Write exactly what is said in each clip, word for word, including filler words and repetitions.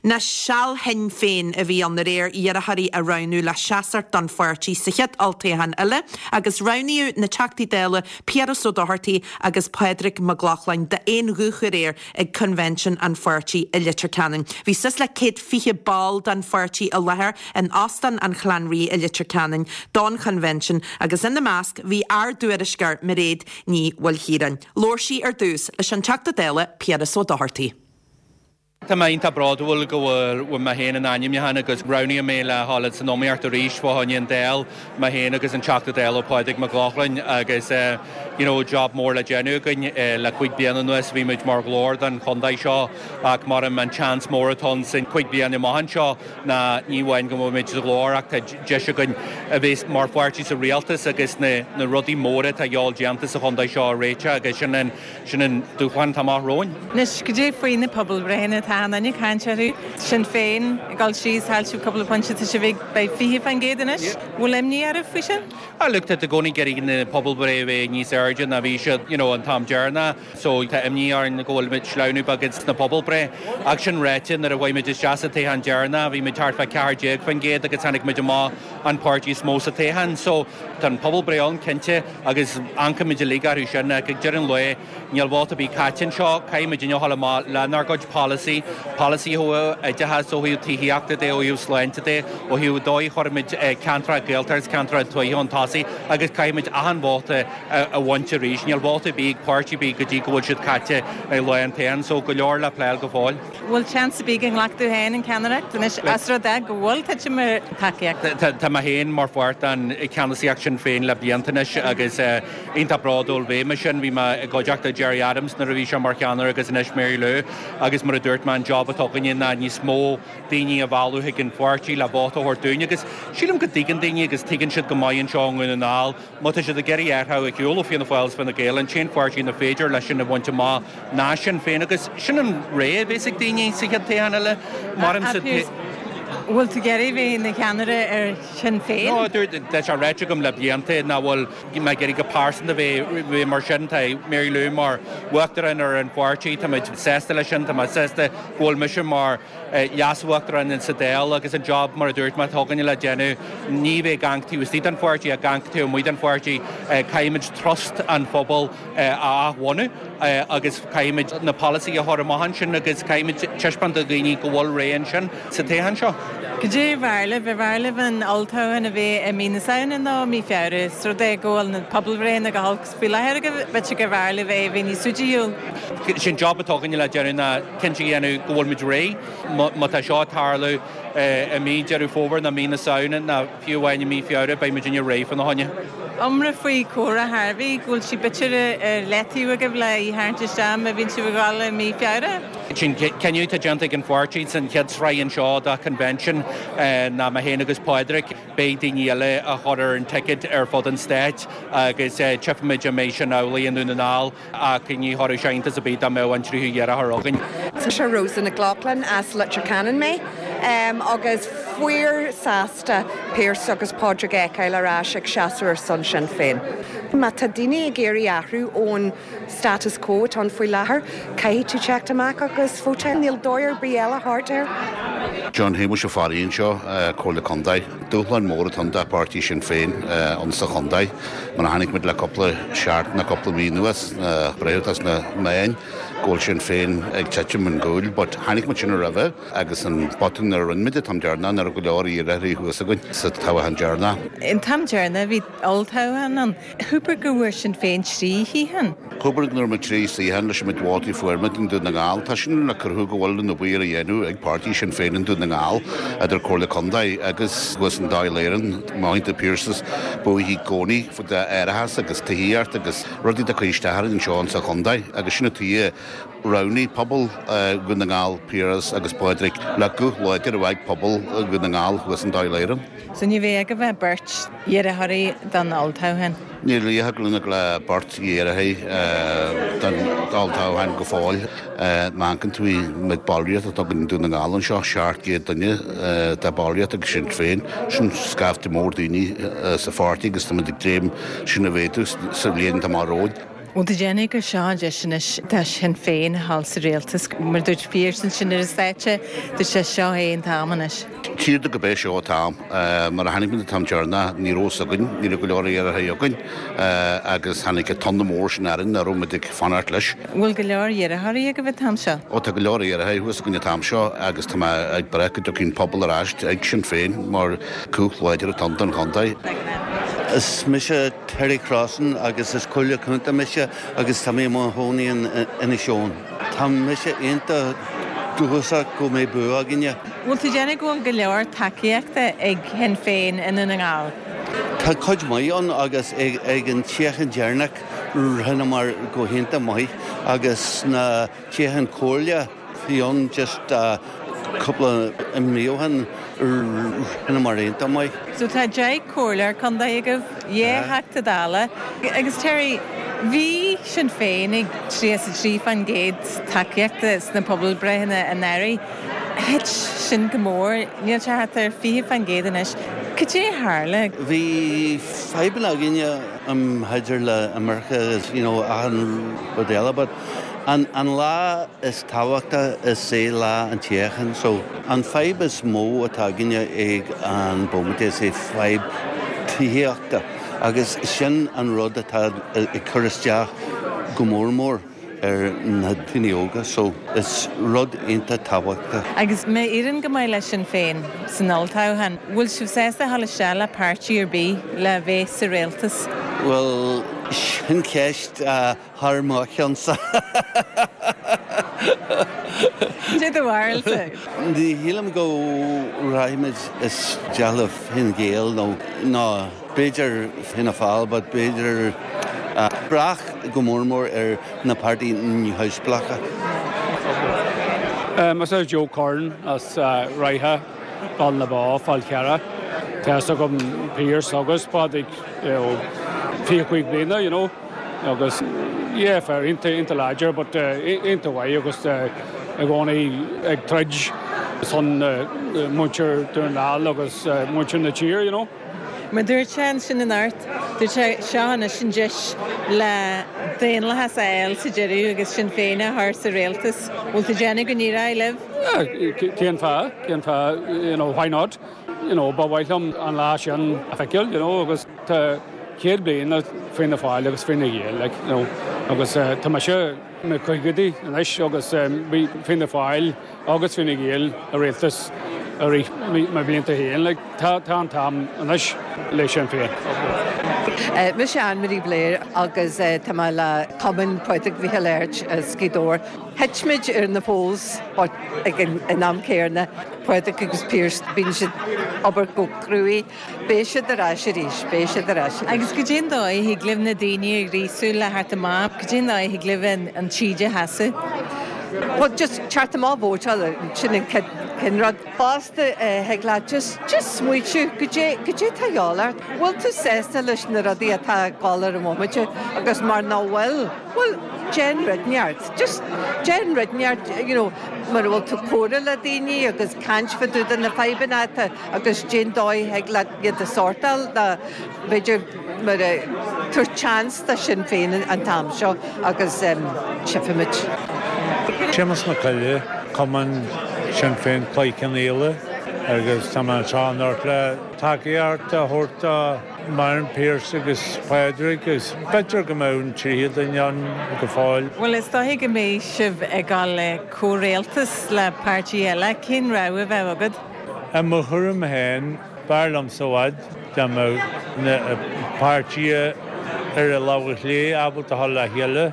Na seal Shinn Féin a bhí ann aréir iarrthóirí a roghnú le seasamh don pháirtí sa chéad olltoghchán eile agus roghnaíodh na Teachtaí Dála Piaras Ó Dochartaigh agus Pádraig Mac Lochlainn d'aon ghuth aréir ag convention an pháirtí i Leitir Ceanainn. Bhí suas le céad fiche ball den pháirtí i láthair in Óstán an Chlann Rí i Leitir Ceanainn don convention agus ina measc bhí ár dtuairisceoir Mairéad Ní Mhaoilchiaráin. Labhair sí ar dtús leis an Teachta Dála Piaras Ó Dochartaigh. Tá mé iontach bródúil go bhfuil mé féin in ainmniúchán agus roghnaíodh mé le dhul san iomaíocht arís fá choinne an Dáil mé féin agus an Teachta Dála Pádraig Mac Lochlainn agus uh, you know, job mór le déanamh againn uh, le cúig bliana anuas bhí muid mar ghlór don chontae seo ach mar an chance mór atá sin cúig bliana amach anseo ná ní amháin go mbeimid sa ghlór ach tá deis againn a bheith mar pháirtí sa rialtas agus na, na rudaí móra atá le déanamh sa chontae seo a réiteach agus sin an sin an dúshlán atá amach romhainn. Anois cad é faoi na pobalbhreitheanna atá an ag caint orthu Sinn Féin ag dul síos chaill cúpla pointe tá sibh ag fiche faoin gcéad anois bhfuil imní oraibh faoi sin? A look tá i gcónaí ag iarraidh na pobalbhreith bheith níos airde ná bhí siad you know, an t-am deireanach, so tá imní orainn go bhfuil muid sleamhnú beag sna pobalbhreith. Ach sin ráite nuair a bhain muid isteach sa toghchán deireanach, bhí muid thart fá ceathair déag faoin gcéad agus tháinig muid amach an páirtí is mó sa toghchán, so tá an pobalbhreith ann cinnte agus amharcaimid uilig orthu sin ach ag deireadh an lae níl vóta ar bith caite anseo, caithfimid a ghabháil amach lenár gcuid polasaí, polasaí ó oideachas ó thaobh tithíochta de ó thaobh sláinte de ó thaobh dóigh chuirfimid ceantar Gaeltacht ceantar tuaithe chun tosaigh agus caithfimid achan vóta a bhaint arís. Níl vóta ar bith ag páirtí ar bith go dtí go bhfuil siad caite ag lá an toghcháin, so go leor le plé go fóill. Bhfuil seans ar bith go nglacfaidh tú féin an ceannaireacht anois as rud é go bhfuil titim ar tacaíocht. Tá mé féin mar pháirt den cheannasaíocht Sinn Féin le blianta anois agus iontach bródúil bheith mar sin bhí mé i gcuideachta Gerry Adams nuair a bhí sé mar cheannaire agus anois Mary Lou agus mar a dúirt mé an job atá againne ná níos mó daoine a mhealladh chuig an pháirtí le vóta a thabhairt dúinn agus sílim go dtuigeann daoine agus tuigeann siad go maith anseo i nDún na nGall má tá siad ag iarraidh athrú ar shiúl ó Fianna Fáil Fine Gael an t-aon pháirtí inar féidir leis sin a bhaint amach ná Sinn Féin agus sin an rogha a bheas ag daoine sa chéad toghchán eile mar Bhfuil tú ag iarraidh bheith ina cheannaire ar Sinn Féin? No tá sé ráite agam le blianta nach bhfuil mé ag iarraidh go pearsanta bheith bheith mar sin tá Mary Lou mar uachtarán ar an pháirtí tá muid sásta leis sin tá mé sásta go bhfuil mise mar leas-uachtarán sa Dáil agus an job mar a dúirt mé atá againne le déanamh ní bheith ag amharc taobh istigh den pháirtí ag amharc taobh amuigh den pháirtí caithfimid trust an phobail a athbhunú agus caithfimid na polasaithe a chur amach ansin agus caithfimid taispeáint do dhaoine go bhfuil ré ansin sa toghchán seo. Cad é b'fhearr libh b'fhearr libh an olltoghchán a bheith i mí na Samhna nó mí Feabhra, is rud é go bhfuil na pobalbhreitheanna go holc faoi láthair go b'fhéidir gur bhfearr libh é a bheith níos suidiúil. Sin job atá againne le déanamh ná cinnte a dhéanamh go bhfuil muid réidh má tá seo tarlú i mí Deireadh Fómhair nó mí na Samhna nó fiú amháin i mí Feabhra beidh muid inne réidh fána choinne. Iomrá faoi Cora Harvey go bhfuil sí b'fhéidir ar leataobh agaibh le í a tharraingt isteach má bhíonn sibh ag dul i mí Feabhra. Sin cinneadh atá déanta ag an pháirtí san chéad sraith anseo de convention ná mé féin agus Pádraig beidh daoine eile a chur ar an ticket ar fud an stáit agus tchífimid an mbeidh sin amhlaidh i nDún na nGall ach ní chuirfeadh sé iontas ar bith dá mbeadh an tríú iarrthóir againn. Tá sé Rosa Nic Lochlainn as Leitir Ceanainn mé um, agus fíorshásta Pearse agus Pádraig a fheiceáil ar ais ag seasamh ar son Sinn Féin. Má tá daoine ag iarraidh athrú ón status quo atá ann faoi láthair, caithfidh tú teacht amach agus vótáil níl dóigh ar bith eile thart air. John Shéamuis Ó Fearraigh anseo Comhairle Contae. Dúshlán mór atá do pháirtí Sinn Féin an sa chontae, mar a chonaic muid le cúpla seachtain na cúpla mí anuas breithiútas na meáin go bhfuil Sinn Féin ag titim chun cúil, but chonaic muid sin roimhe agus an botún a rinne muid an t-am deireanach nuair go leor iarrthóirí thuas againn sa toghchán deireanach. An t-am deireanach bhí olltoghchán ann. Chúpar go bhfuair Sinn Féin trí shuíochán. Cúpar nuair muid trí shuíochán leis muid vótaí fuair muid i nDún na nGall Tá sin le cruthú go bhfuil an obair á dhéanamh ag páirtí Sinn Féin i nDún na nGall idir Comhairle Contae agus thuas an Dáil Éireann Maithe Pearse buaithe i gcónaí de árachas agus tithíocht agus rudaí de chuisteair anseo an sa chontae agus sin tuí roghnaigh pobal Dhún na nGall Piaras agus Pádraig le guth láidir a bheith pobal Dhún na nGall thuas an Dáil Éireann. So ní bheidh agaibh ach beirt iarrthóirí don olltoghchán. Níl riach lena le beirt iarrthóirí don olltoghchán go fóill má amharcann tú ar ballraíocht atá i nDún na nGall anseo seacht gcéad duine de ballraíocht ag Sinn Féin sin scaifte mór daoine sa pháirtí agus tá ag dréim sin a mhéadú sa bhliain atá romhainn. Bhfuil tú ag déanamh gur seo an deis anois do Shinn Féin thall sa rialtas mar dúirt Pearse ansin ar an stáitse dúirt sé seo é an t-am anois. Tír go bé seo tam mar a tháinig an t-am deireanach ní raibh fhios againn, ní raibh go leor iarrthóirí againn agus tháinig an tonn mór sin orainn a raibh muid ag fanacht leis. Bhfuil go leor iarrthóirí agaibh an t-am seo? Ó tá go leor iarrthóirí thuas againn an t-am seo agus tá mé ag brath go dtiocfaidh an pobal ar ais ag Sinn Féin mar cumhacht láidir atá ann don chontae. Is mise Terry Crossan agus is comhairleoir contae mise agus tá mé i mo chónaí in Inis Eoghain. Tá mise iontach dóchasach go mbeidh bua againne. Bhfuil tú ag déanamh go bhfuil go leor tacaíochta ag Sinn Féin i nDún na nGall? Tá cuid maith ann agus ag, ag an toghchán deireanach rinneamar go hiontach maith agus na toghchán comhairle bhí ann just uh, cúpla mí ó shin rinneamar iontach maith. So tá deich comhairleoir contae agaibh, dhá Theachta Dála agus Terry, bhí Sinn Féin ag tríocha a trí faoin gcéad tacaíochta sna pobalbhreitheanna anuraidh. Thit sin go mór, níl sé thart ar fiche faoin gcéad anois. Cad é a tharla? Bhí fadhbanna againne um, idir le imirce you know, achan rud eile, but an, an lá is tábhachta is é lá an toghcháin, so an fadhb is mó atá againne ag an bomaite is é fadhb tithíochta agus sin an rud atá ag cur isteach go mór mór ar na daoine óga, so is rud iontach tábhachtach. Agus má éiríonn go maith le Sinn Féin san olltoghchán, bhfuil sibh sásta dul isteach le páirtí ar bith le bheith sa rialtas? Well sin ceist uh, thar mo cheannsa. Dé do bharúilsa. Ní shílim go rachaimid isteach le Fine Gael nó ná b'fhéidir Fianna Fáil, but b'fhéidir uh, brath go mór mór ar na páirtí neamhspleácha. Um, is Joe Corn as uh, Raithe Baile na Bá Fál Carrach. Tá agam Pearse agus Pádraig fiche cúig bliana, you know, agus yeah, fear iontach iontach láidir, but uh, iontach mhaith agus uh, i gcónaí ag troid son uh, muintir Dhún na nGall agus uh, muintir na tíre, you know. Mar dúirt sé sin in art, dúirt sé seo anois an deis le daonlathas a fháil sa deireadh agus Sinn Féin a chur sa rialtas. Bhfuil tú ag déanamh go n-éireoidh libh? Cén fáth, cén fáth, you know, why not? You know, ba mhaith liom an lá sin a fheiceáil, you know, agus tá céad bliain Fianna Fáil agus Fine Gael, like, you know, agus uh, tá mise i mo chaogaidí anois agus um, bhí Fianna Fáil agus Fine Gael i rialtas i rith mo bhlianta féin, like, tá tá an t-am anois le Sinn Féin. Uh, Mise Anne-Marie Blair agus uh, tá mé le Cumann Phádraig Mhichíl Airt as Gaoth Dobhair. Thit muid ar na polls but ag an in am céanna Pádraig agus Pearse bíonn siad obair go cruaidh, Beidh siad ar ais arís, beidh siad ar ais. Agus cad é an dóigh thig libh na daoine a ghríosú le theacht amach, cad é an dóigh thig libh an, an taoide a sheasamh. Well, just teacht amach vótáil sin an chéad rud. Fosta thig leat just just smaoitiú cad é cad é tá ort. Bhfuil tú sásta leis na rudaí atá ag dul ar an bhomaite agus mar nach bhfuil, Well, déan rud inteacht. Just déan rud inteacht, you know, mar bhfuil tú comhrá le daoine agus caint fá dtaobh de na fadhbanna agus cén dóigh thig leat iad a shórtáil b'fhéidir mar tabhair chance do Sinn Féin an t-am seo agus um, tchífimid. Séamus Mac Coille, Cumann Sinn Féin Cloich Cheann Fhaola agus tá an ort le tacaíocht a thabhairt Martin Pearse agus Pádraig agus b'fhéidir go mbeidh an tríú duine ann go fóill. Well is dóigh go mbeidh sibh ag dul le comhrialtas le páirtí eile cén rogha a bheadh agat. I mo thuairim féin b'fhearr liom i bhfad dá mbeadh na páirtithe ar an lámh chlé ábalta a dhul le chéile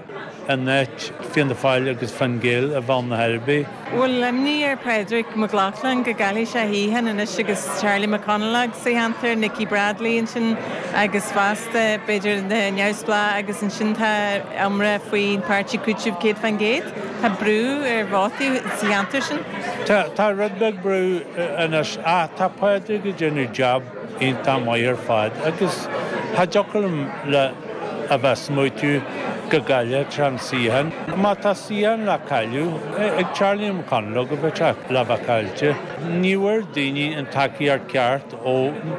in áit Fianna Fáil agus Fine Gael a bheith na herbí. Bhfuil imní ar Padraig Mac Lochlainn go gcaillfidh sé shuíochán anois agus Charlie McConalogue sa cheantar, Nicky Bradley ansin agus fosta b'fhéidir na neamhspleáigh agus ansin tá iomrá faoin páirtí Cúiteamh céad faoin gcéad. Tá brú ar vótaí sa cheantar sin? Tá rud beag brú anois ach tá Pádraig ag déanamh job iontach maith ar fad agus tá deocair le a bheith smaoitiú go go gcaillfeadh sé an suíochán. Má tá suíochán le cailleadh ag Charlie McConalogue a bheadh sé le bheith caillte. Ní bhfuair daoine an tacaíocht ceart ó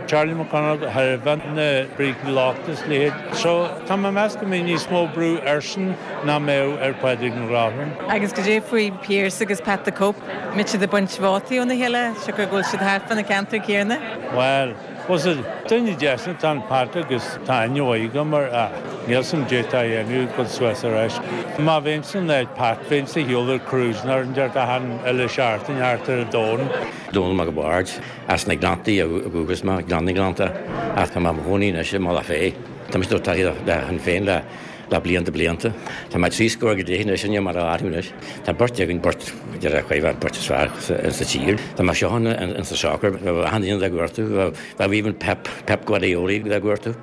Charlie McConalogue thairbhe na brící lochta is leithéid. So tá mé ag meas go mbeidh níos mó brú airsean ná mbeadh ar Phádraig Mac Lochlainn. Agus goidé faoi Pearse agus Pat the Cope, mbeidh siad ag baint vótaí óna chéile, siocair go bhfuil siad thart fá na ceantair céanna? Well, was it duine deas atá in Pat agus tá aithne mhaith agam air ach níl a fhios agam goidé atá a dhéanamh go suas ar ais. Má bheinnse in áit Pat bheinnse ag siúl ar cruising ar an deir achan uile seachtain thart ar an domhan. Dónal Mac Bhaird as na Gleanntaí ó dhúchas mé Gleann na nGleannta ach tá mé i mo chónaí anois i mBealach Féich. Tá mé taobh le Sinn Féin le le blianta blianta. Tá mé trí scór go deich anois inniu mar a athrú anois. Tá beirt againn beirt deir chuibh beirt is fearr sa tír. Tá mé seo in sa soccer achan duine le gortú, bheadh even Pep Pep Guardiola le gortú.